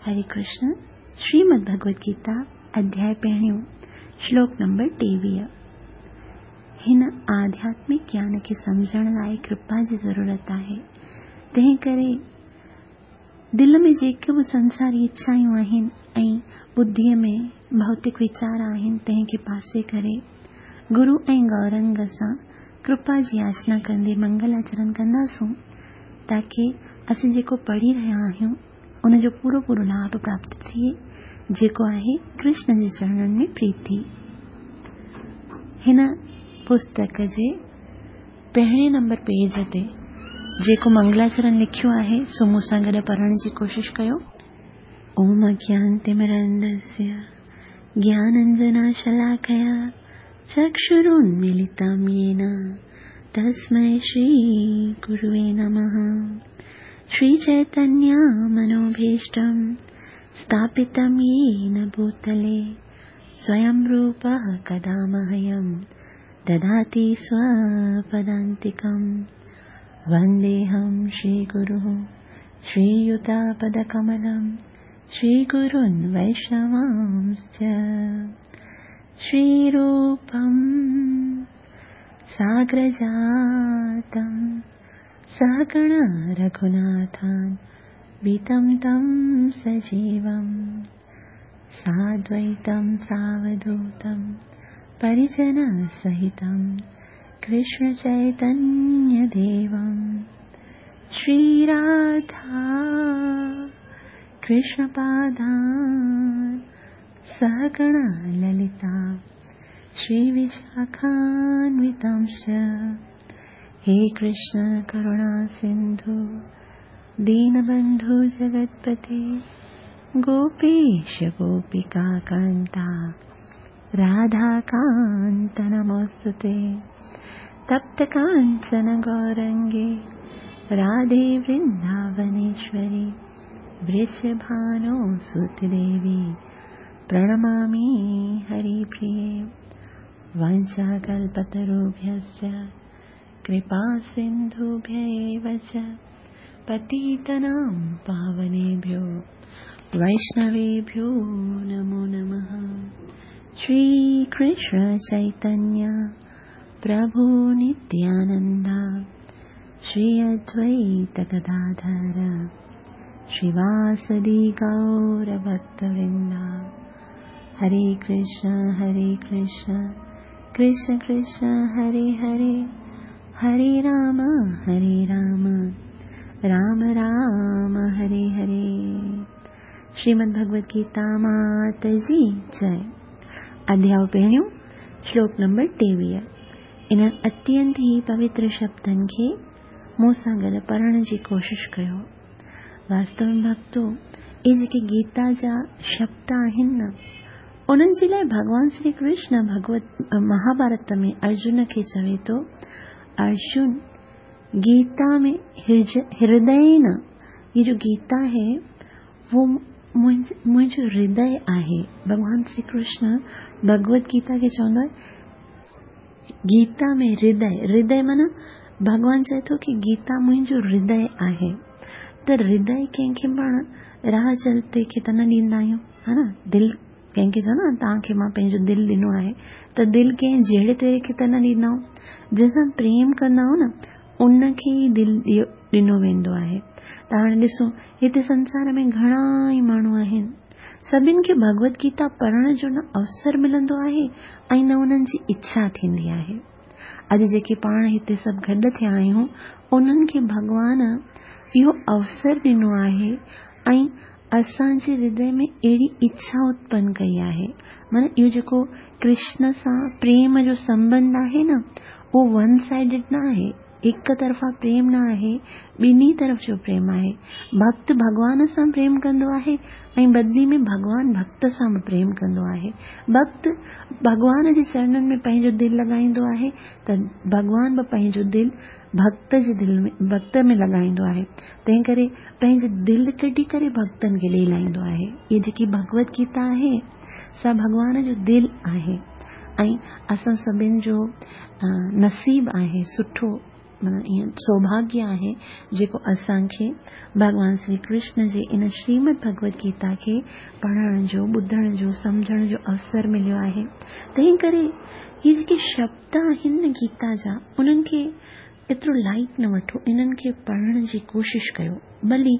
هري ڪرشن، شريمد ڀڳوت گيتا، اڌياء پهريون، شلوڪ نمبر 23. هن آڌياتمڪ گيان کي سمجهڻ لاء ڪرپا جي ضرورت آهي، تنهن ڪري دل ۾ جيڪي به سنساري اڇائون آهن ۽ ٻڌيء ۾ ڀوتڪ ويچار آهن، تنهن کي پاسي ڪري گرو ۽ گورنگ سان ڪرپا جي ياچنا ڪندي منگل آچرڻ ڪنداسون، تاڪي اسين جيڪو پڙهي رهيا آهيون، ان جو پورو پورو لاڀ پراپت ٿئي، جيڪو آهي ڪرشن جي چرڻن ۾ پريتي. هن پستڪ جي پهرين نمبر پيج تي جيڪو منگلاچرڻ لکيو آهي، سو مون سان گڏ پڙهڻ جي ڪوشش ڪيو. اوم اگيانتمرندسيه گيانانجناشلاڪيا چڪشرونميلتم يين تسمي شري گروي نمه. شري چيتنيه منوڀيشٽم اسٿاپتم يين ڀوتلي سويم روپه ڪدا مهيم دداتي سوپدانتڪم. ونديهم شري گرو شري يوتپدڪملم شري گرون ويشنوانس شري روپم ساگرجاتم سهگڻ رघوناٿان ويتم تم سجيوم سادويتم ساوڌوتم پريجن سهتم ڪرشن چيتنيه ديوم شري راڌا ڪرشن پادان سهگڻ للتا شري وشاکانوتمش. هي ڪرشن ڪروڻا سنڌو دينبنڌو جگتپتي گوپيش گوپيڪا ڪانتا راڌا ڪانت نموستي. تپت ڪانچن گورنگي راڌي ورنداونيشوري ورشڀانو سوت ديوي پرڻمامي هري پريي. وانڇاڪلپتروڀيشچ ڪرپا سنڌوڀيا ايو چ پتيتنام پاونيڀيو ويشنويڀيو نمو نمه. شري ڪرشن چيتنيه پرڀو نتيانندا شري ادويت گداڌر شريواسدي گور ڀڪت ورندا. هري ڪرشن هري ڪرشن ڪرشن ڪرشن هري هري، هري رام هري رام رام رام هري هري. شريمد ڀڳوت گيتا مات جي جئي. اڌياء پهريون، شلوڪ نمبر 23. انهن اتينت ئي پوتر شبدن کي مون سان گڏ پڙهڻ جي ڪوشش ڪيو. واستو ۾ ڀڳتو، اهي جيڪي گيتا جا شبد آهن نه، انهن جي لاء ڀڳوان شري ڪرشن ڀڳوت مهاڀارت ۾ ارجن کي چوي ٿو، ارجن گيتا ۾ هردي نه، هي جو گيتا هي وو منهنجو هردي آهي. ڀڳوان شري ڪرشن ڀڳوت گيتا کي چوندو آهي گيتا ۾ هردي، هردي معنيٰ ڀڳوان چئي ٿو ڪي گيتا منهنجو هردي آهي. ته هردي ڪنهن کي پاڻ راهه چلتي کي ته نه ڏيندا آهيون، ها نه؟ دل ڪنهن کي چوندا آهن توهان کي مان پنهنجو دل ڏنو آهي، ته دل ڪنهن جهڙي تهڙي کي ته نه ڏيندا آهيون. جنهن سان پريم ڪندا آهيون نه، ان کي ئي دل ڏنو ويندو آهي. ته هاڻي ڏسو هتي سنسار ۾ گهڻا ئي ماڻهو آهن، سڀن کي ڀڳوت گيتا پڙهڻ جو نه اوسر ملندو آهي ۽ نه انهن جي اڇا ٿيندي آهي. اڄ جيڪي پاڻ هتي سڀ گڏ ٿيا آهيون، انهن کي ڀڳوان اهو اوسر ڏنو آهي ۽ اسان جي هردي ۾ اهڙي اڇا اتپن ڪئي آهي. معنيٰ اهو جيڪو ڪرشن سان پريم جو سنٻنڌ آهي نه، اهو ون سائيڊڊ نه آهي، هڪ طرفا پريم نه آهي، ٻنهي طرف جو پريم آهي. ڀڳت ڀڳوان سان پريم ڪندو آهي ۽ بدلي ۾ ڀڳوان ڀڳت سان به پريم ڪندو آهي. ڀڳت ڀڳوان جي چرڻن ۾ پنهنجو دل لڳائيندو آهي ته ڀڳوان به پنهنجو دل ڀڳت جي دل ۾ ڀڳت ۾ لڳائيندو آهي. تنهن ڪري پنهنجي دل ڪڍي ڪري ڀڳتن کي ڏئي لائيندو آهي. هيء جيڪي ڀڳوت گيتا آهي سا ڀڳوان جو دل آهي ۽ اسان سڀن جو نصيب آهي سٺو. معنيٰ ائين سوڀاگيه آهي جيڪو اسان کي ڀڳوان شري ڪرشن جي ان شريمد ڀڳوت گيتا کي پڙهڻ جو، ٻڌڻ جو، سمجهڻ جو اوسر مليو آهي. تنهن ڪري هي جيڪي شبد آهن نه گيتا جا انهن کي ايترو لائيٽ نه وٺو، انهن کي پڙهڻ جي ڪوشش ڪيو. ڀلي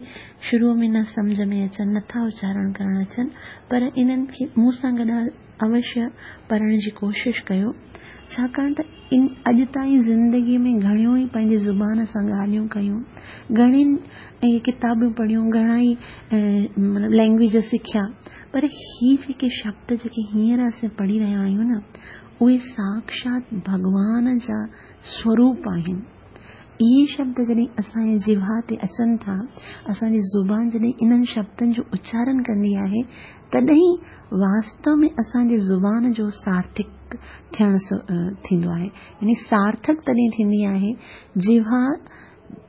شروع ۾ نه سمجهه ۾ اچن، نٿا اچارڻ ڪرڻ اچن، پر انهن کي مون سان گڏ اوشيه پڙهڻ جي ڪوشش ڪيو، ڇاڪاڻ ته ان اڄ تائين زندگيء ۾ گهڻيون ئي پنهنجي زبان سان ڳالهيون ڪيون، گهڻين اهي ڪتابون پڙهيون، گهڻا ئي مطلب لينگويج سکيا، پر هي جيڪي شبد جيڪي هينئر اسين پڙهي رهيا آهيون نه، اهي ساڪشات ڀڳوان جا سوروپ آهن. اهي شبد جڏهن اسان جي جيوا تي اچن ٿا، اسان جي زبان جڏهن انهن شبدن جو اچارن ڪندي آهي، تڏهن واستو ۾ اسان جي زبان جو سارٿڪ ٿيڻ ٿيندو آهي. يعني سارٿڪ تڏهن ٿيندي آهي، جيوا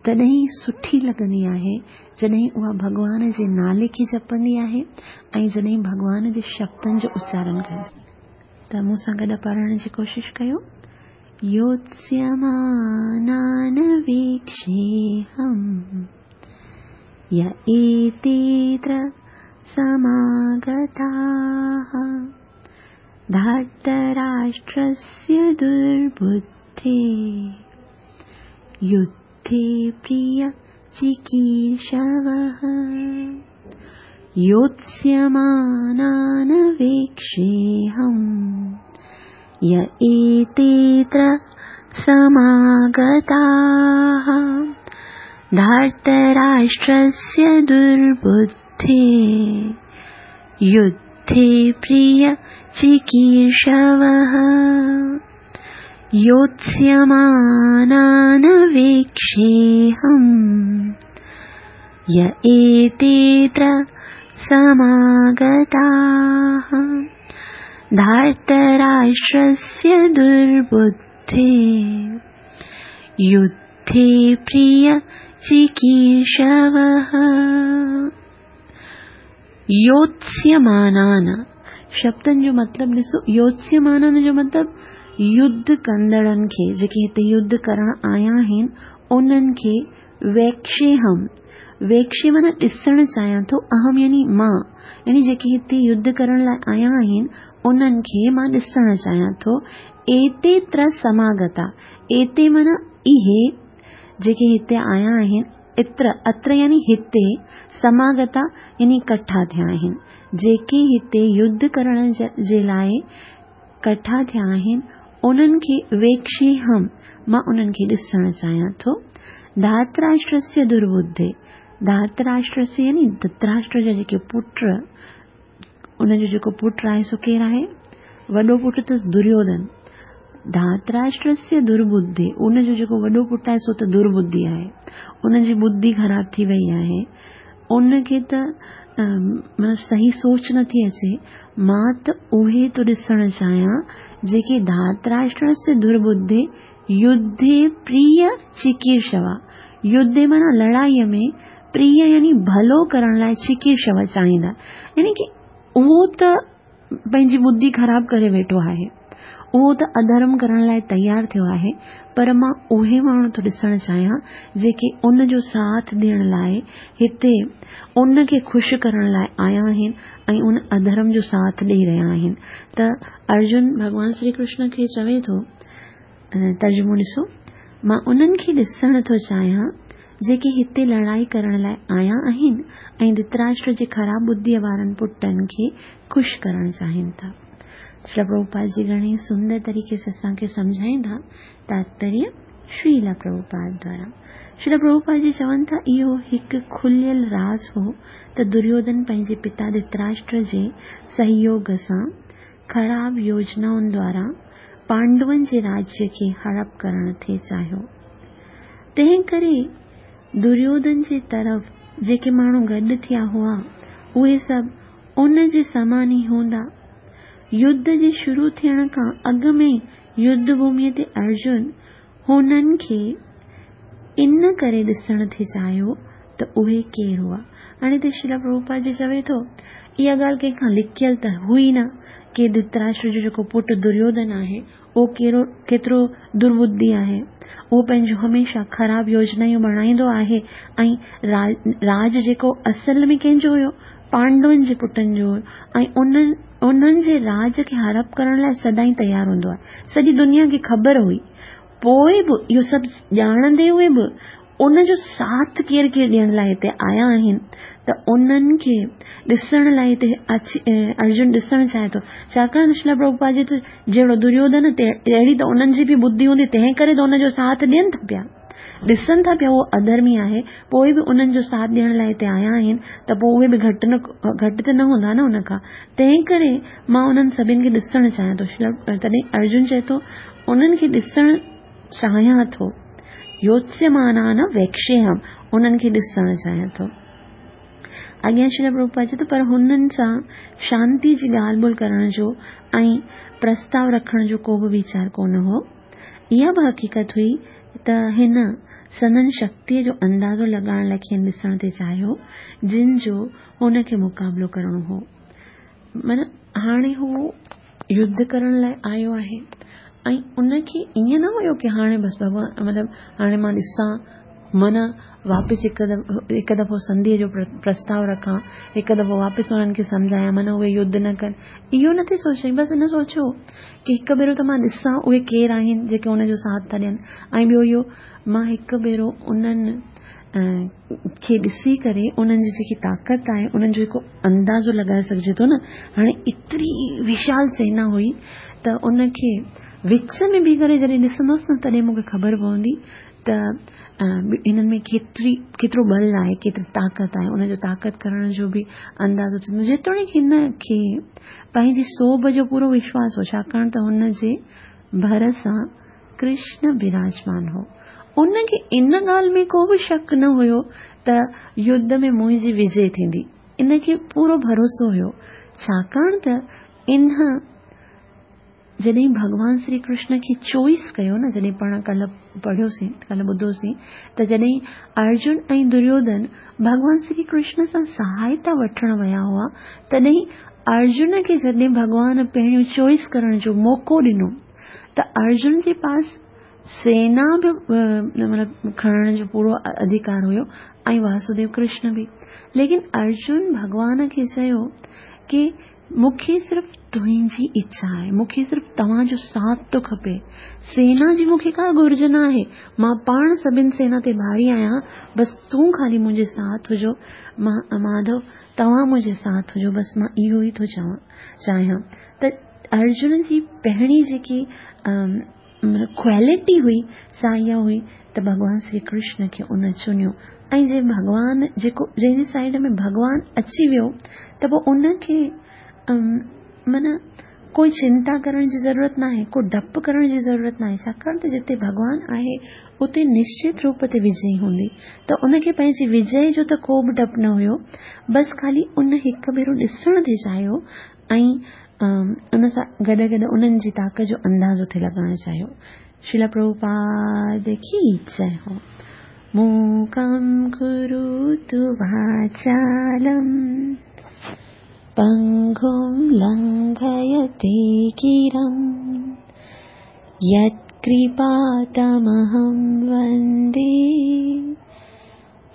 تڏهن سٺي لڳندي آهي، جڏهن اها ڀڳوان جي نالي کي جپندي آهي ۽ جڏهن ڀڳوان جي شبدن جو اچارن ڪندي آهي. ته مون سان گڏ پڙهڻ جي ڪوشش ڪيو. يوتسيمانان ويڪشيهم ي ايتيتر سماگتاः ڌارتراشٽرسيه دربڌي يڌي پريه چڪيرشوः يوتسيمانان ويڪشيهم ي ايتيتر سماگتاः ڌارتراشٽرسيه دربڌي يڌي پريه چڪيرشوः يوتسيمانان ويڪشيهم ي ايتيتر سماگتاः ڌارتراشٽرسيه دربڌي يڌي پريه چڪيرشوः. يوتسيمانان شبدن جو مطلب ڏسو، يوتسيمانان جو مطلب يڌ ڪندڙن کي، جيڪي هتي يڌ ڪرڻ آيا آهن انهن کي، ويڪشيهم، ويڪشي معنيٰ ڏسڻ چاهيان ٿو، اهم يعني مان، يعني جيڪي هتي يڌ ڪرڻ لاء آيا آهن انهن کي مان ڏسڻ چاهيان ٿو. ايتي تر سماگتا، ايتي معنيٰ اهي جيڪي هتي آيا آهن، اتر، اتر يعني هتي، سماگتا يعني ڪٺا ٿيا آهن، جيڪي هتي يڌ ڪرڻ جي لاء ڪٺا ٿيا آهن، انهن کي ويڪشيهم، مان انهن کي ڏسڻ چاهيان ٿو. ڌاتراشٽرسيه درٻڌي، ڌاتراشٽرسيه يعني ڌتراشٽر جا جيڪي پٽ، ان جو جيڪو پٽ آهي سو ڪير آهي؟ وڏو پٽ اٿس دريوڌن. ڌاتراشٽرسيه درٻڌي، ان جو جيڪو وڏو پٽ آهي سو ته درٻڌي آهي، ان جي ٻڌي خراب ٿي وئي آهي، ان کي ته مطلب صحيح سوچ نٿي اچي، مان ته اهي ٿو ڏسڻ چاهيان جيڪي ڌاتراشٽرسيه درٻڌي يڌي پريه چڪيرشوا، يڌي معنيٰ لڙائيء ۾ پريه يعني ڀلو ڪرڻ لاء چڪيرشوا چاهيندا، يعني ڪي اهو ته پنهنجي ٻڌي خراب ڪري ويٺو آهي، اهو ته اڌرم ڪرڻ لاء تيار ٿيو آهي، پر مان اهي ماڻهو ٿو ڏسڻ چاهيان جيڪي ان جو ساٿ ڏيڻ لاء هتي ان کي خوش ڪرڻ لاء آيا آهن ۽ ان اڌرم جو ساٿ ڏئي رهيا آهن. ته ارجن ڀڳوان شري ڪرشن کي چوي ٿو، ترجمو ڏسو، مان انهن کي ڏسڻ ٿو چاهيان جيڪي هتي لڙائي ڪرڻ لاء آيا آهن ۽ ڌتراشٽر جي خراب ٻڌيء وارن پٽن کي خوش ڪرڻ چاهين ٿا. شريلا پرڀوپاد جي گهڻي سندر طريقي سان اسان کي سمجهائين ٿا، تاتپريه شريلا پرڀوپاد دوارا. شريلا پرڀوپاد جي چون ٿا، اهو هڪ کليل راز هو ته دريوڌن پنهنجي پتا ڌتراشٽر جي سهيوگ سان خراب يوجنائن دوارا پانڊون جي راجيه کي هڙپ ڪرڻ ٿي چاهيو. تنهن ڪري دريوڌن جي طرف جيڪي ماڻهو گڏ ٿيا هئا، اهي سڀ ان جي سمان ئي هوندا. يڌ جي شروع ٿيڻ کان اڳ ۾ يڌ ڀوميء تي ارجن هنن کي ان ڪري ڏسڻ ٿي چاهيو ته اهي ڪير هئا. هاڻي هتي شريلا پرڀوپاد جي چوي ٿو، اها ڳالهه ڪنهن کان لڪيل ته هئي نه ڪي ڌتراشٽر جو جيڪو پٽ دريوڌن آهي اهو ڪيرو ڪيترو درٻڌي آهي. اهو پنهنجون هميشه خراب يوجنايون بڻائيندو آهي ۽ راڄ جيڪو اصل ۾ ڪنهن جو هيو؟ پانڊون جي پٽن جو هيو ۽ انهن انهن جي راڄ کي هڙپ ڪرڻ لاء سدائين تيار هوندو آهي. سڄي دنيا کي خبر هئي. پوء به اهو سڀ ڄاڻندي هوئي به ان جو ساٿ ڪير ڪير ڏيڻ لاء هتي آيا آهن ته انهن کي ڏسڻ لاء هتي ارجن ڏسڻ چاهي ٿو. ڇاڪاڻ ته شريلا پرڀوپاد جي ته جهڙو دريوڌن تهڙي ته انهن جي به ٻڌي هوندي تنهن ڪري ته ان جو ساٿ ڏين ٿا پيا. ڏسن ٿا پيا اهو اڌرمي آهي پوء به انهن جو ساٿ ڏيڻ لاء هتي آيا آهن ته پوء اهي به گهٽ نه گهٽ ته نه هوندا نه ان کان. تنهن ڪري مان انهن سڀن کي ڏسڻ چاهيان ٿو. تڏهن ارجن چئي ٿو انهن کي ڏسڻ چاهيان ٿو. يوتسيمانان ويڪشيهم، انهن کي ڏسڻ چاهيان ٿو. اڳيان شريل پرڀوپاد چئي ٿو پر هنن سان شانتي جي ڳالهه ٻولهه ڪرڻ جو ۽ پرستاء رکڻ جو ڪو به ويچار ڪونه هو. اها به حقيقت هئي ته هن سندن شڪتيء جو اندازو لڳائڻ لاء کين ڏسڻ ٿي چاهيو، جن جو هن کي مقابلو ڪرڻو هو. معنيٰ هاڻي هو يڌ ڪرڻ لاء آيو آهي ۽ ان کي ائين نه هيو ڪي هاڻي بس ڀڳوان مطلب هاڻي مان ڏسان معنيٰ واپس هڪ هڪ دفعو سنڌيء جو پرستاء رکان هڪ دفعو واپس انهن کي سمجهايان معنيٰ اهي يڌ نه ڪن اهو نه ٿي سوچيائين بس هن سوچيو ڪي هڪ ڀيرو ته مان ڏسان اهي ڪير آهن جيڪي ان جو ساٿ ٿا ڏين ۽ ٻيو اهو مان هڪ ڀيرو انهن کي ڏسي ڪري انهن جي جيڪي طاقت آهي انهن جو هڪ اندازو لڳائي سگهجي ٿو نه هاڻي ايتري وشال سينا هئي ته ان کي وچ ۾ بيهي ڪري جڏهن ڏسندوس نه تڏهن مون کي خبر پوندي ته انهن ۾ ڪيتري ڪيترو ٻل آهي ڪيتري طاقت آهي ان جو طاقت ڪرڻ جو به اندازو ٿيندو جيتوڻيڪ هن کي پنهنجي سوڀ جو پورو وشواس هو ڇاڪاڻ ته هن جي ڀر سان ڪرشن براجمان هو. ان کي ان ڳالهه ۾ ڪو به شڪ نه هيو ته يڌ ۾ منهنجي وجي ٿيندي. ان کي پورو ڀروسو هيو. ڇاڪاڻ ته ان جڏهن ڀڳوان سري ڪرشن کي چوائس ڪيو نه جڏهن پاڻ ڪلهه پڙهيوسين ڪلهه ٻڌوسين ته جڏهن ارجن ۽ دريوڌن ڀڳوان سري ڪرشن سان سهائتا وٺڻ ويا هئا تڏهن ارجن کي جڏهن ڀڳوان پهريون چوائس ڪرڻ جو موقعو ڏنو ته ارجن جي پاس سينا به مطلب کڻڻ جو پورو اڌڪار هيو ۽ واسوديو ڪرشن به ليڪن ارجن ڀڳوان کي چيو ڪي مون کي صرف تنهنجي اڇا آهي مون کي صرف توهان جو ساٿ ٿو کپي سينا جي مون کي ڪا گهرج نه آهي مان پاڻ سڀن سينا تي ڀاري آهيان بس تون خالي منهنجي ساٿ هجو مان ماڌو توهان منهنجي ساٿ هجو بس مان اهو ئي ٿو چوان چاهيان ته ارجن جي پهرين جيڪي ڪوالٽي هئي سا اها هئي ته ڀڳوان سري ڪرشن کي ان چنيو ۽ جي ڀڳوان جيڪو جنهن جي سائيڊ ۾ ڀڳوان اچي ويو ته پوء ان کي معنيٰ ڪوئي چنتا ڪرڻ جي ضرورت ناهي ڪو ڊپ ڪرڻ جي ضرورت ناهي ڇاڪاڻ ته جتي ڀڳوان آهي اتي نشچت روپ تي وجئي هوندي ته ان کي پنهنجي وجئي جو ته ڪو به ڊپ نه هيو بس خالي ان هڪ ڀيرو ڏسڻ ٿي چاهيو ۽ ان سان گڏ گڏ انهن جي طاقت جو اندازو ٿي لڳائڻ چاهيو. شريلا پرڀوپاد ڪي جئه هو. موڪم ڪروتو واچالم پنگم لنگهيتي گرم يتڪرپا تمهم وندي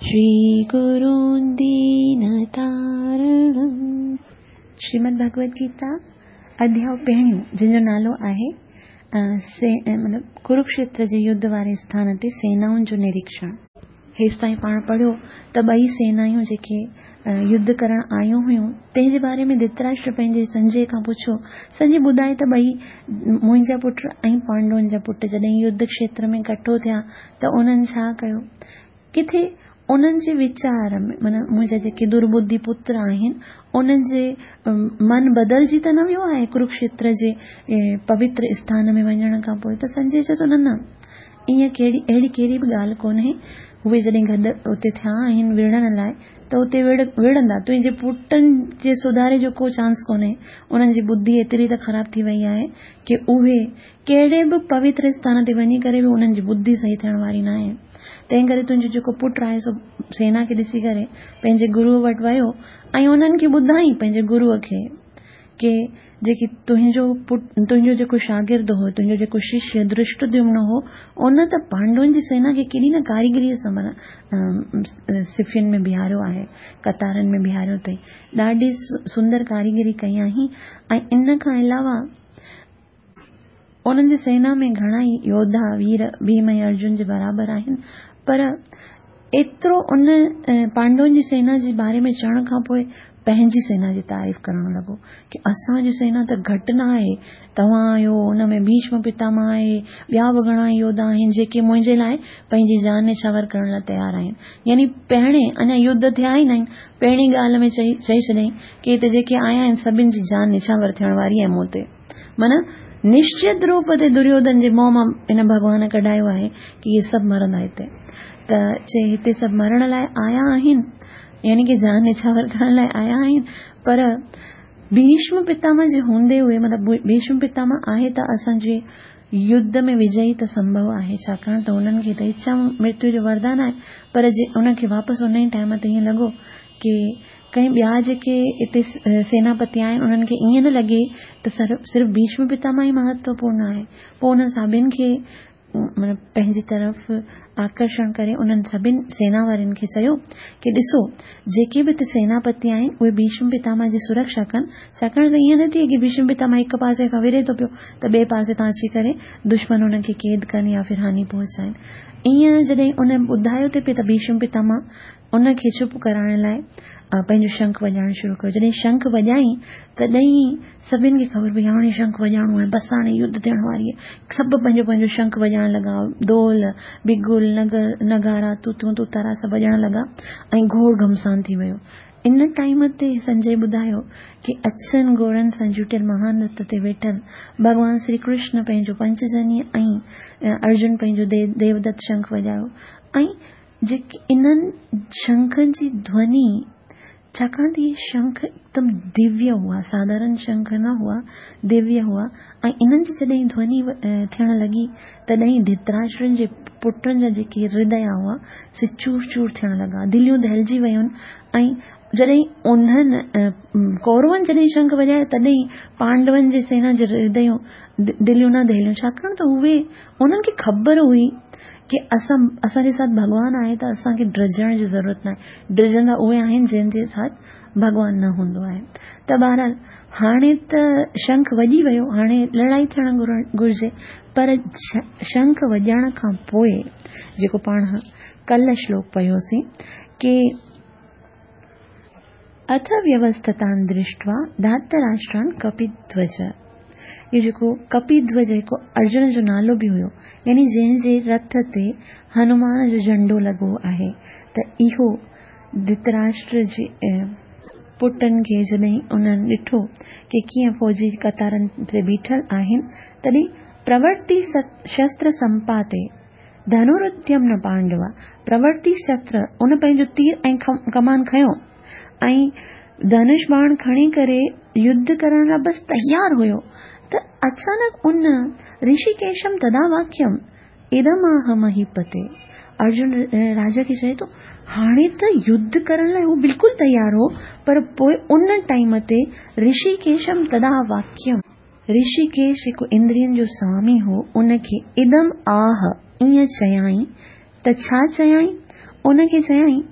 شري گرون دينتارڻم. شريمد ڀڳوت گيتا اڌياء پهريون جنهن جو نالو آهي مطلب ڪروڪشيتر جي يڌ واري اسٿان تي سينائن جو نريڪشڻ. هيستائين پاڻ پڙهيو ته ٻئي سينايون جيڪي يڌ ڪرڻ آيون هيون تنهن جي باري ۾ ڌتراشٽر پنهنجي سنجي کان پڇيو. سنجي ٻڌائي ته ٻئي منهنجا پٽ ۽ پانڊون جا پٽ جڏهن يڌ کشيتر ۾ ڪٺو ٿيا ته انهن ڇا ڪيو؟ ڪٿي انهن جي ويچار ۾ معنيٰ منهنجا جيڪي درٻڌي پتر آهن، انهن جي من بدلجي ته نه ويو آهي ڪروڪشيتر جي پوتر اسٿان ۾ وڃڻ کان پوء ته سنجي چئي ٿو نه نه ائين ڪهڙي اهڙي ڪهڙي به ڳالهه ڪونهي اهي جڏهن گڏ اتي ٿيا آهن وڙهڻ لاء ته اتي وڙهندا تنهنجي پٽن جي سڌاري جو ڪو چانس ڪونهي انهن جي ٻڌي ايتري ته خراب ٿي وئي آهي ڪي اهي ڪهڙي به پوتر اسٿان تي وڃي ڪري به انهن جي ٻڌي صحيح ٿيڻ واري ناهي. تنهن ڪري تنهنجو جيڪو پٽ آهي سو سينا کي ڏسي ڪري پنهنجي گروء وٽ ويو ۽ انهن کي ٻڌائين پنهنجي گروء کي ڪي جيڪي تنهنجو پٽ تنهنجو جيڪو شاگرد هو تنهنجو جيڪو ششيه ڌرشٽديمن هو ان ته پانڊون جي سينا کي ڪيڏي نه ڪاريگريء سان معنيٰ صفين ۾ بيهاريو آهي قطارن ۾ بيهاريو اٿئي ڏاڍي سندر ڪاريگري ڪئي آهين ۽ ان کان علاوه انهن جي سينا ۾ گهڻا ئي يوڌا وير ڀيم ۽ ارجن جي برابر آهن پر ايترو ان پانڊون جي سينا جي باري ۾ چوڻ کان پوء پنهنجي سينا جي تعريف ڪرڻ لڳو ڪي اسان جي سينا ته گهٽ نه آهي توهان آهيو ان ۾ ڀيشم پتاماه آهي ٻيا به گهڻا ئي يوڌا آهن جيڪي منهنجي لاء پنهنجي جان نڇاور ڪرڻ لاء تيار آهن يعني پهرين اڃا يڌ ٿيا ئي نه آهن پهرين ڳالهه ۾ چئي چئي ڇڏيائين ڪي هتي جيڪي آيا آهن سڀن جي جان نڇاور ٿيڻ واري آهي مون تي معنيٰ نشچت روپ تي دريوڌن جي منهن مان هن ڀڳوان ڪڍايو آهي ڪي اهي سڀ مرندا هتي ته چي هتي سڀ مرڻ لاء آيا آهن يعني ڪي جان نڇاور ڪرڻ لاء آيا آهن پر ڀيشم پتامه جي هوندي هئي مطلب ڀيشم پتامه آهي ته اسان جي يڌ ۾ وجئي ته سمڀو آهي ڇاڪاڻ ته هنن کي ته اڇا مرتيو جو وردان آهي پر جي ان کي واپس ان ئي ٽائيم تي ائين لڳو ڪي ڪئين ٻيا جيڪي اتي سيناپتي آهن انهن کي ائين نه لڳي ته صرف ڀيشم پتامه ئي مهتوپورڻ آهي پوء انهن سڀن کي مطلب پنهنجي طرف آڪرشڻ ڪري انهن سڀن سينا وارن کي چيو ڪي ڏسو جيڪي به اتي سيناپتي آهن اهي ڀيشم پتامه جي سرڪشا ڪن ڇاڪاڻ ته ائين نه ٿئي ڪي ڀيشم پتامه هڪ پاسي کان وري ٿو پيو ته ٻئي پاسي تان اچي ڪري دشمن انهن کي قيد ڪن يا ڦر هاني پهچائن ائين جڏهن ان ٻڌايو ٿي پئي ته ڀيشم پتامه ان کي چپ ڪرائڻ لاء پنهنجو شنک وڄائڻ شروع ڪيو. جڏهن شنک وڄائين تڏهن سڀن کي خبر پئي هاڻي شنک وڄائڻو آهي بس هاڻي يڌ ٿيڻ واري آهي. سڀ پنهنجو پنهنجو شنک وڄائڻ لڳا. دول، بگل، نغارا، توتيون، توتارا سڀ وڄڻ لڳا ۽ گهوڙ گهمسان ٿي ويو. ان ٽائيم تي سنجي ٻڌايو ڪي اڇن گهوڙن سان جوٽيل مهان رٿ تي ويٺل ڀڳوان سري ڪرشن پنهنجو پنچجنيه ۽ ارجن پنهنجو ديودت شنک وڄايو ۽ جيڪي انهن شنکن جي ڌوني، ڇاڪاڻ ته اهي شنک هڪدم دويه هئا، ساڌارڻ شنک نه هئا، دويه هئا ۽ انهن جي جڏهن ڌوني ٿيڻ لڳي، تڏهن ڌرتراشٽرن جي پٽن جا جيڪي هرديا هئا، سي چور چور ٿيڻ لڳا، دليون دهلجي ويون ۽ جڏهن انهن ڪورون جڏهن شنک وڄايا، تڏهن پانڊون جي سينا جي هرديون، دليون نه دهليون، ڇاڪاڻ ته اهي انهن کي خبر هئي ڪي اسان اسان جي ساٿ ڀڳوان آهي ته اسان کي ڊڄڻ جي ضرورت ناهي ڊڄندا اهي آهن جن جي ساٿ ڀڳوان نه هوندو آهي ته بهرحال هاڻي ته شنک وڄي ويو هاڻي لڙائي ٿيڻ گهرجي پر شنک وڄڻ کان پوء جيڪو پاڻ ڪلهه شلوڪ پڙهيوسين ڪي اٿ ويوسٿتان درشٽوا ڌاتراشٽران ڪپيڌوج اهو جيڪو ڪپيڌوج هڪ ارجن جو نالو به هيو يعني جنهن جي رٿ تي هنومان جو جهنڊو لڳو آهي ته اهو ڌتراشٽر جي پٽن کي جڏهن انهن ڏٺو ڪي ڪيئن فوجي قطارن تي بيٺل آهن تڏهن پرورتي شستر سمپاتي ڌنروديم نه پانڊوا، پرورتي شستر، ان پنهنجو تير ۽ ڪمان کنيو ۽ ڌنش باڻ کڻي ڪري يڌ ڪرڻ لاء بس تيار هيو ته اچانڪ ان رشيڪيشم تدا واڪيم ادم آه مهيپتي ارجن راجا کي چئي ٿو هاڻي ته يڌ ڪرڻ لاء هو بلڪل تيار هو پر پوء ان ٽائيم تي رشيڪيشم تدا واڪيم رشيڪيش جيڪو اندرين جو سوامي هو، ان کي ادم آه ائين چيائين ته ڇا چيائين؟ ان کي چيائين،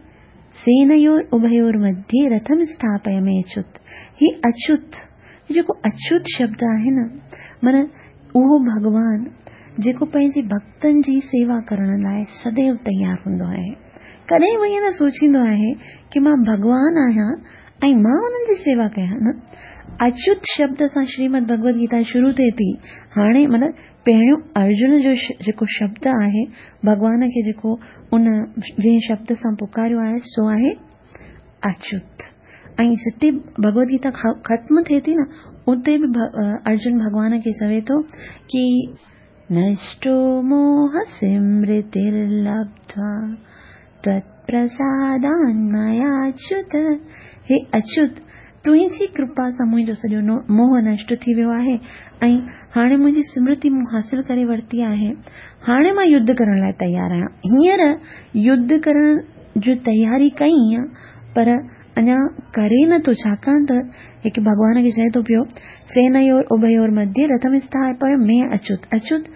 سينيور اڀيور مڌيي رٿم اسٿاپي مي اچوت. هي اچوت، هي جيڪو اچوت شبد آهي نه، معنيٰ اهو ڀڳوان جيڪو پنهنجي ڀڳتن جي سيوا ڪرڻ لاء سديو تيار هوندو آهي. ڪڏهن به ائين نه سوچيندو آهي ڪي مان ڀڳوان آهيان ۽ مان انهن جي سيوا ڪيان نه. اچيوت شبد سان شريمد ڀڳوت گيتا شروع ٿئي ٿي. هاڻي مطلب پهريون ارجن جو جيڪو شبد آهي، ڀڳوان کي جيڪو ان جنهن شبد سان پڪاريو آهي سو آهي اچيوت. ۽ جتي ڀڳوت گيتا ختم ٿئي ٿي نه اتي به ارجن ڀڳوان کي چوي ٿو ڪي نشٽو موهه سمرترلبڌوا تتپرسادان ميا اچيوت، هي اچيوت! تنهنجي ڪرپا سان منهنجو سڄو موهه نشٽ ٿي ويو آهي ۽ هاڻي منهنجي سمرتي مون حاصل ڪري ورتي آهي. هاڻي مان يڌ ڪرڻ لاء تيار آهيان. هينئر يڌ ڪرڻ جي تياري ڪئي پر اڃا ڪري نه ٿو ڇاڪاڻ ته هڪ ڀڳوان کي چئي ٿو پيو سينيور اڀيور مڌيه رٿم اسٿاپي مي اچوت اچوت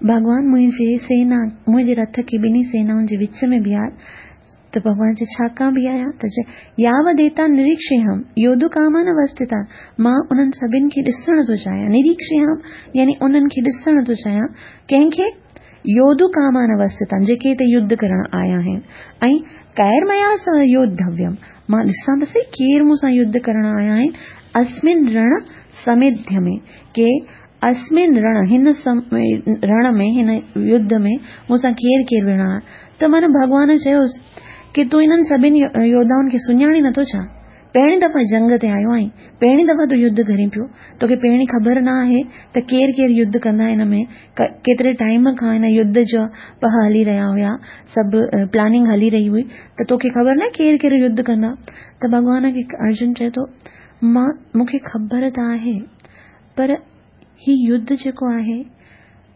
ڀڳوان منهنجي سينا منهنجي رٿ کي ٻنهي سينائن جي وچ ۾ بيهار ته ڀڳوان چئي ڇا ڪان بيهاريان ته چئي ياوديتان نريڪشيهم يوڌڪامان اوسٿتان مان انهن سڀن کي ڏسڻ ٿو چاهيان نريڪشيهم يعني انهن کي ڏسڻ ٿو چاهيان ڪنهن کي يوڌڪامان اوسٿتان جيڪي هتي يڌ ڪرڻ آيا آهن ۽ ڪير ميا سه يوڌويم مان ڏسان ته سهي ڪير مون سان يڌ ڪرڻ آيا آهن اسمن رڻ سميڌ ۾ ڪي اسمن رڻ هن رڻ ۾ هن يڌ ۾ مون سان ڪير ڪير وڙهڻ آيا ته معنيٰ ڀڳوان چيس ڪي تون انهن سڀني يوڌائن کي سڃاڻين نٿو ڇا؟ پهرين دفعا جنگ تي آيو آهين، پهرين دفعا تون يڌ ڪرين پيو، توکي پهرين خبر نه آهي ته ڪير ڪير يڌ ڪندا هن ۾، ڪيتري ٽائيم کان هن يڌ جا پهه هلي رهيا هيا، سڀ پلاننگ هلي رهي هئي ته توکي خبر نه آهي ڪير ڪير يڌ ڪندا؟ ته ڀڳوان کي ارجن چئي ٿو مان مون کي خبر ته آهي پر هي يڌ جيڪو آهي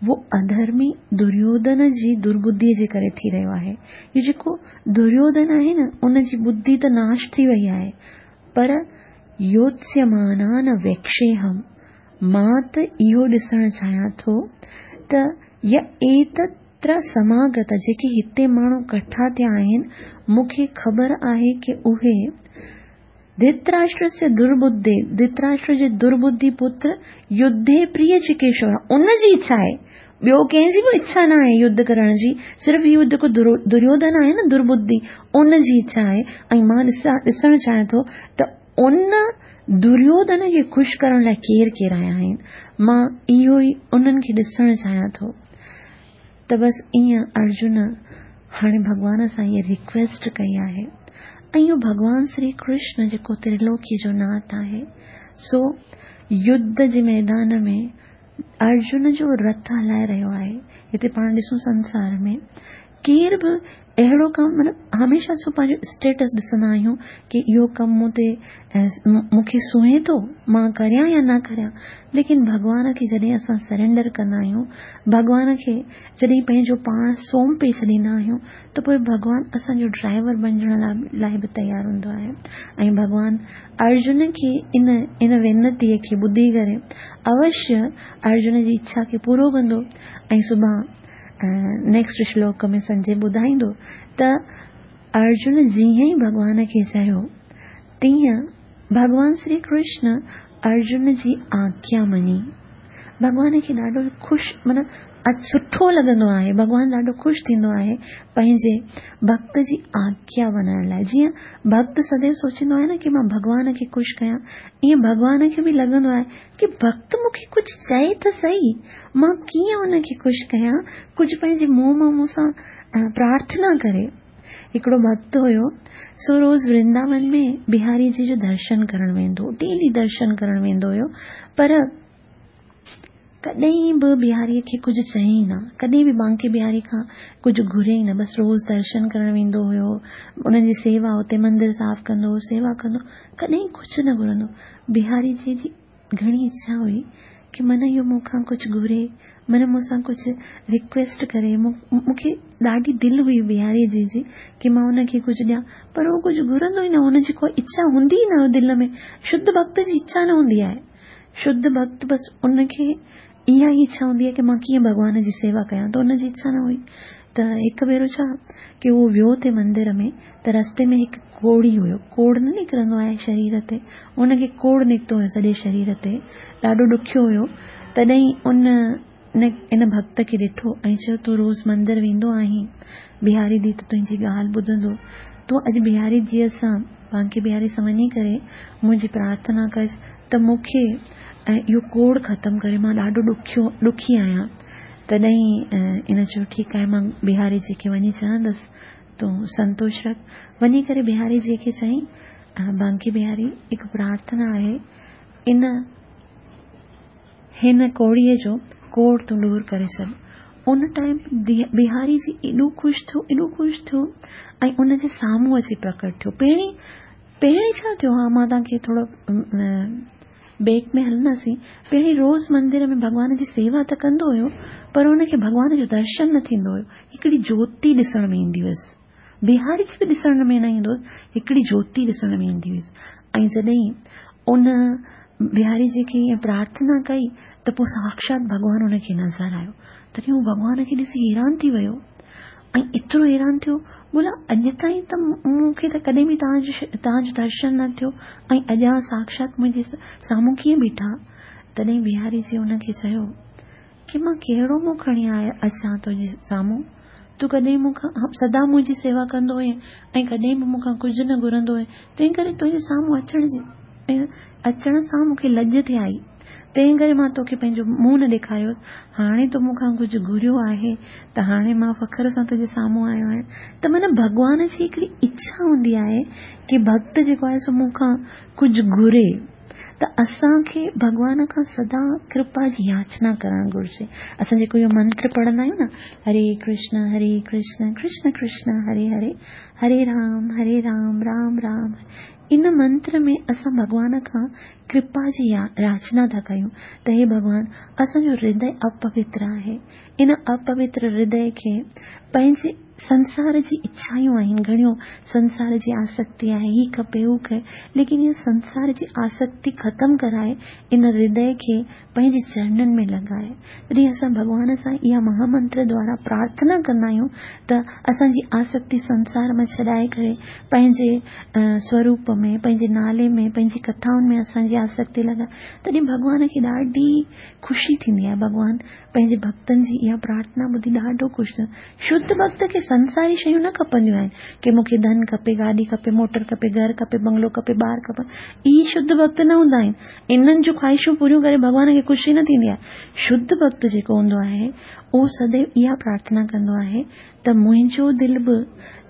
اهو اڌرمي دريوڌن جي درٻڌيء جي ڪري ٿي رهيو آهي. هي جيڪو دريوڌن آهي نه ان جي ٻڌي ته ناش ٿي وئي آهي پر يوتسيمانان ويڪشيهم مان ته اهو ڏسڻ چاهيان ٿو ته ي ايتتر سماگت جيڪي هتي ماڻهو ڪٺا ٿيا آهن مون کي خبر آهي ڪي اهي ڌرتراشٽرسيه درٻڌي، ڌرتراشٽر جي درٻڌي پتر يڌي پريه چڪيشور، ان جي اڇا آهي، ٻيو ڪنهن جي به اڇا نه آهي يڌ ڪرڻ جي، صرف اهو جيڪو دريوڌن آهي نه درٻڌي، ان جي اڇا آهي ۽ مان ڏسڻ چاهيان ٿو ته ان دريوڌن کي خوش ڪرڻ لاء ڪير ڪير آيا آهن، مان اهو ئي انهن کي ڏسڻ چاهيان ٿو. ته بس ائين ارجن هاڻي ڀڳوان سان هيء ريڪويسٽ ڪئي آهي ۽ اهو ڀڳوان سري ڪرشن جيڪو ترلوڪي جو ناٿ آهي سو يڌ جي ميدان ۾ ارجن جو رٿ هلائي رهيو آهي. هتي پاڻ ڏسون سنسار ۾ ڪير به اهڙو ڪم مطلب هميشه اسان پنهنجو اسٽيٽس ڏسندا آهيون ڪي اهو ڪم مون تي مون کي سونهين ٿو مان ڪريان يا نه ڪريان ليڪن ڀڳوان کي جڏهن اسان سرينڊر ڪندا آهيون ڀڳوان کي جڏهن پنهنجو پاڻ سونپي ڇڏيندا آهيون ته پوء ڀڳوان اسان جو ڊرائيور بنجڻ لاء به تيار هوندو آهي ۽ ڀڳوان ارجن کي ان ان وينتي کي ٻڌي ڪري اوشيه ارجن جي اڇا کي پورو ڪندو ۽ سڀان نيڪسٽ شلوڪ ۾ سنجي ٻڌائيندو ته ارجن جيئن ئي ڀڳوان کي چيو تيئن ڀڳوان سري ڪرشن ارجن جي آگيا مڃي. ڀڳوان کي ڏاڍو خوش معنيٰ سٺو لڳندو آهي ڀڳوان ڏاڍو خوش ٿيندو آهي پنهنجي ڀڳت جي آگيا مڃڻ لاء جيئن ڀڳت سديو سوچيندو آهي نه ڪي مان ڀڳوان کي خوش ڪيان ائين ڀڳوان کي به لڳندو آهي ڪي ڀڳت مون کي ڪجهه چئي ته سهي، مان ڪيئن ان کي خوش ڪيان، ڪجهه پنهنجي منهن مان مون سان پرارٿنا ڪري. هڪڙو ڀڳت هيو، سو روز ورنداون ۾ بهاري جي جو درشن ڪرڻ ويندو هو، ڊيلي درشن ڪرڻ ويندو هيو، پر ڪڏهن به بهاري کي ڪجهه چيائين نه، ڪڏهن به بانڪي بهاري کان ڪجهه گهريائين نه، بس روز درشن ڪرڻ ويندو هيو، انهن جي سيوا اتي مندر صاف ڪندو هو، سيوا ڪندو هو، ڪڏهن ڪجهه نه گهرندو. بهاري جي جي گهڻي اڇا هئي ڪي من اهو مون کان ڪجهه گهري، من مون سان ڪجهه رڪويسٽ ڪري، مون کي ڏاڍي دل هئي بهاري جي جي ڪي مان ان کي ڪجهه ڏيان پر هو ڪجهه گهرندو ئي نه هو، ان جي ڪو اڇا هوندي ئي نه دل ۾، شڌ ڀڳت جي اڇا نه هوندي آهي، شڌ ڀڳت بس ان کي اها ئي اڇا هوندي آهي ڪي مان ڪيئن ڀڳوان جي سيوا ڪيان ته ان جي اڇا نه هئي ته هڪ ڀيرو ڇا ڪي هو ويو ٿي مندر ۾ ته رستي ۾ هڪ ڪوڙهي هيو ڪوڙهه نه نڪرندو آهي شرير تي ان کي ڪوڙهه نڪتو هيو سڄي شرير تي ڏاڍو ڏکيو هيو تڏهن ان ان ڀڳت کي ڏٺو ۽ چيو تون روز مندر ويندو آهين بهاري the ته تنهنجي ڳالهه ٻڌندو تون اڄ بهاري جيء سان بانڪي بهاري سان وڃي ڪري منهنجي پرارٿنا ڪج ته مون کي اهو ڪوڙهه ختم ڪري مان ڏاڍو ڏکيو ڏکي آهيان تڏهن ان چيو ٺيڪ آهي مان بهاري جي کي وڃي چوندس تون سنتوش رک وڃي ڪري بهاري جي کي چيائين بانڪي بهاري هڪ پرارٿنا آهي ان هن ڪوڙهيء جو ڪوڙهه تون ڏور ڪري ڇڏ ان ٽائيم بهاري جي ايڏو خوش ٿيو ايڏو خوش ٿيو ۽ ان جي سامهون اچي پرڪٽ ٿيو پهرين پهرين ڇا ٿيو ها مان توهان کي ٿورو بيڪ ۾ هلنداسين پهرين روز مندر ۾ ڀڳوان جي سيوا ته ڪندو هيو پر ان کي ڀڳوان جو درشن نه ٿيندو هيو هڪڙي جوتي ڏسڻ ۾ ايندي هيس بهاري جي به ڏسڻ ۾ نه ايندو هيس هڪڙي جوتي ڏسڻ ۾ ايندي هيس ۽ جڏهن ان بهاري جي کي ائين پرارٿنا ڪئي ته پوء ساڪشات ڀڳوان ان کي نظر آيو تڏهن هو ڀڳوان کي ڏسي حيران ٿي ويو ۽ ايترو حيران ٿيو، بولا اڄ تائين ته مون کي ته ڪڏهن به توهان جو توهان جو درشن نه ٿيو ۽ اڄ اوهان ساڪشات منهنجي سامهون ڪيئن بيٺا؟ تڏهن بهاري جي ان کي چيو ڪي مان ڪهڙو منهن کڻي آيو اچان تنهنجي سامهون؟ تون ڪڏهن مون کان سدا منهنجي سيوا ڪندو هئين ۽ ڪڏهن به مون کان ڪجهه نه گهرندو هئين، تنهن ڪري تنهنجي سامهون اچڻ جي اچڻ سان مون کي لڄ ٿي آئي. تنهن ڪري مان توکي پنهنجو منهن نه ڏيکاريو. هاڻي تو مون کان ڪجهه گهريو آهي ته هاڻي مان فخر سان تنهنجي سامهون آيو آهيان. ته معنيٰ ڀڳوان جي هڪڙي اڇا هوندي آهي ڪي ڀڳت جيڪو آهي سو مون کان ڪجهه گهري ته اسان کي ڀڳوان کان سدا ڪرپا جي ياچنا ڪرڻ گهرجي. اسان جيڪو اهو منتر پڙهندا آهيون نه هري ڪرشن هري ڪرشن ڪرشن ڪرشن هري هري هري رام هري رام رام رام ان منتر ۾ اسان ڀڳوان کان ڪرپا جي ياچنا ٿا ڪيون ته هي ڀڳوان اسان جو هردي اپوتر آهي ان اپوتر هردي کي پنهنجي سنسار جي اڇايون آهن گهڻيون سنسار جي آسڪتي آهي هي کپي هو کپي ليڪن اها سنسار جي آسڪتي ختم ڪرائي ان هردي کي پنهنجي چرنن ۾ لڳائي. جڏهن اسان ڀڳوان سان اها مها منتر دوارا پرارٿنا ڪندا آهيون ته اسان جي آسڪتي سنسار مان ڇڏائي ڪري پنهنجي سوروپ ۾ پنهنجي نالي ۾ پنهنجي ڪٿائن ۾ اسان جي آسڪتي لڳائي تڏهن ڀڳوان کي ڏاڍي خوشي ٿيندي آهي ڀڳوان پنهنجي ڀڳتن جي اها پرارٿنا ٻڌي ڏاڍو خوش ٿيندو آهي. شڌ ڀڳت کي سنساري شيون نه کپنديون آهن ڪي مون کي ڌن کپي، گاڏي کپي، موٽر کپي، گهر کپي، بنگلو کپي، ٻار کپن. اهي شڌ ڀڳت نه هوندا آهن. انهن جون خواهشون پوريون ڪري ڀڳوان کي خوشي نه ٿيندي آهي. شڌ ڀڳت جيڪو هوندو آهي، اهو سديو اها پرارٿنا ڪندو آهي ته منهنجو دل به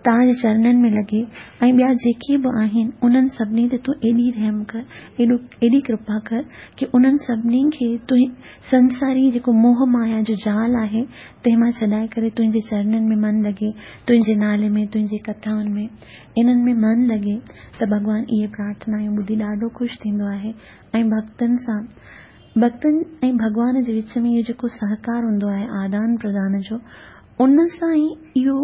توهان جي چرنن ۾ لڳي ۽ ٻيا جيڪي به آهن، انهن سڀني تي تون ايڏي رحم ڪر، ايڏو ايڏي ڪرپا ڪر ڪي انهن سڀني کي تون سنساري جيڪو موهه مايا جو جال آهي، تنهن مان ڇڏائي ڪري تنهنجي چرنن ۾ من لڳي، تنهنجي نالي ۾، تنهنجي ڪٿائن ۾، انهن ۾ من لڳي ته ڀڳوان اهي پرارٿنايون ٻڌي ڏاڍو خوش ٿيندو آهي ۽ ڀڳتن سان ڀڳتن ۽ ڀڳوان جي وچ ۾ اهو جيڪو سهڪار هوندو آهي آدان پردان جو ان سان ئي اهو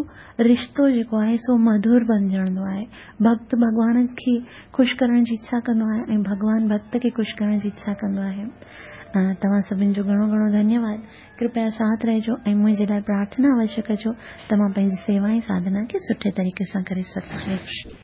رشتو جيڪو آهي سو مڌر بنجڻدو آهي. ڀڳت ڀڳوان کي خوش ڪرڻ جي اڇا ڪندو آهي ۽ ڀڳوان ڀڳت کي خوش ڪرڻ جي اڇا ڪندو آهي. توهان سڀن جو گهڻو گهڻو ڌنيواد. ڪرپيا ساٿ رهجو ۽ منهنجي لاء پرارٿنا اوشيه ڪجو ته مان پنهنجي سيوا ۽ ساڌنا کي سٺي طريقي سان ڪري سگهان.